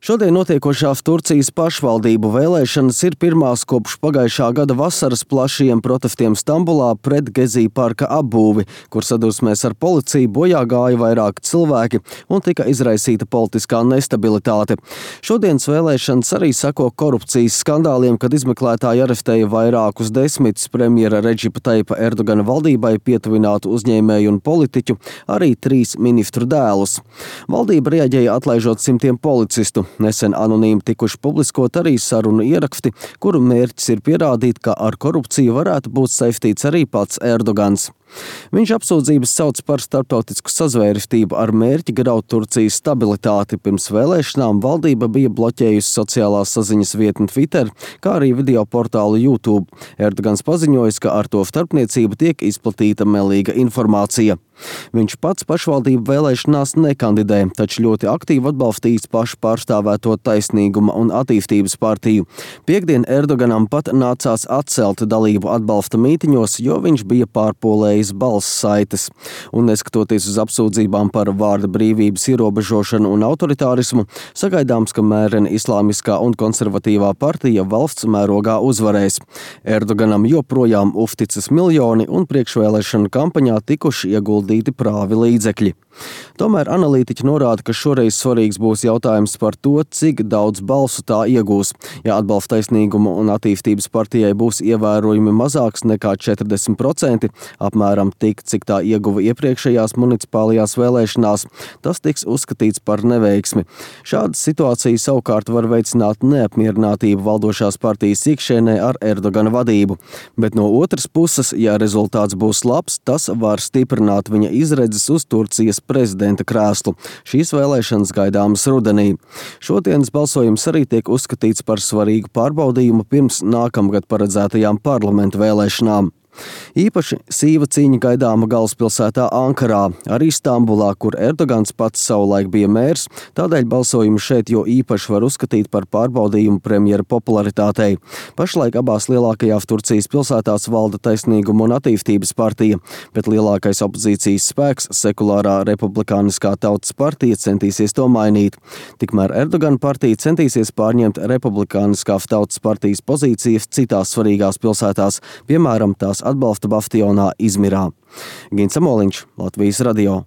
Šodien notiekošās Turcijas pašvaldību vēlēšanas ir pirmās kopš pagājušā gada vasaras plašiem protestiem Stambulā pret Gezī parka apbūvi, kur sadursmēs ar policiju bojā gāja vairāki cilvēki un tika izraisīta politiskā nestabilitāte. Šodienas vēlēšanas arī seko korupcijas skandāliem, kad izmeklētāji arestēja vairākus desmitus premjera Redžipa Taipa Erdogana valdībai pietuvinātu uzņēmēju un politiķu, arī 3 ministru dēlus. Valdība reaģēja atlaižot simtiem policistu. Nesen anonīmi tikuši publiskot arī sarunu ieraksti, kuru mērķis ir pierādīt, ka ar korupciju varētu būt saistīts arī pats Erdogans. Viņš apsūdzības sauc par starptautisku sazvērestību ar mērķi graut Turcijas stabilitāti. Pirms vēlēšanām valdība bija bloķējusi sociālās saziņas vietni Twitter, kā arī video portālu YouTube. Erdogans paziņojis, ka ar to starpniecību tiek izplatīta melīga informācija. Viņš pats pašvaldību vēlēšanās nekandidē, taču ļoti aktīvi atbalstījis pašu pārstāvēto Taisnīguma un attīstības partiju. Piektdien Erdoganam pat nācās atcelt dalību atbalsta mītiņos, jo viņš bija pārpolējis balss saites. Un neskatoties uz apsūdzībām par vārda brīvības ierobežošanu un autoritārismu, sagaidāms, ka mērena islāmiskā un konservatīvā partija valsts mērogā uzvarēs. Erdoganam joprojām uzticas miljoni un priekšvēlēšanu kampaņā tikuši ieguldīti prāvi līdzekļi. Tomēr analītiķi norāda, ka šoreiz svarīgs būs jautājums par to, cik daudz balsu tā iegūs. Ja atbalsts Taisnīguma un attīstības partijai būs ievērojami mazāks nekā 40%, apmēram tik, cik tā ieguva iepriekšējās municipālajās vēlēšanās, tas tiks uzskatīts par neveiksmi. Šāda situācija savukārt var veicināt neapmierinātību valdošās partijas iekšienē ar Erdogana vadību. Bet no otras puses, ja rezultāts būs labs, tas var stiprināt viņa izredzes uz Turcijas prezidenta krēslu. Šīs vēlēšanas gaidāmas rudenī. Šodienas balsojums arī tiek uzskatīts par svarīgu pārbaudījumu pirms nākamgad paredzētajām parlamentu vēlēšanām. Īpaši sīva cīņa gaidāma galvaspilsētā Ankarā, arī Stambulā, kur Erdogans pats savulaik bija mērs, tādēļ balsojumu šeit jo īpaši var uzskatīt par pārbaudījumu premjera popularitātei. Pašlaik abās lielākajās Turcijas pilsētās valda Taisnīguma un attīstības partija, bet lielākais opozīcijas spēks, sekulārā republikāniskā tautas partija, centīsies to mainīt. Tikmēr Erdogana partija centīsies pārņemt republikāniskās tautas partijas pozīcijas citās svarīgās pilsētās, piemēram, tās atbalsta bastionā Izmirā. Gins Amoliņš, Latvijas radio.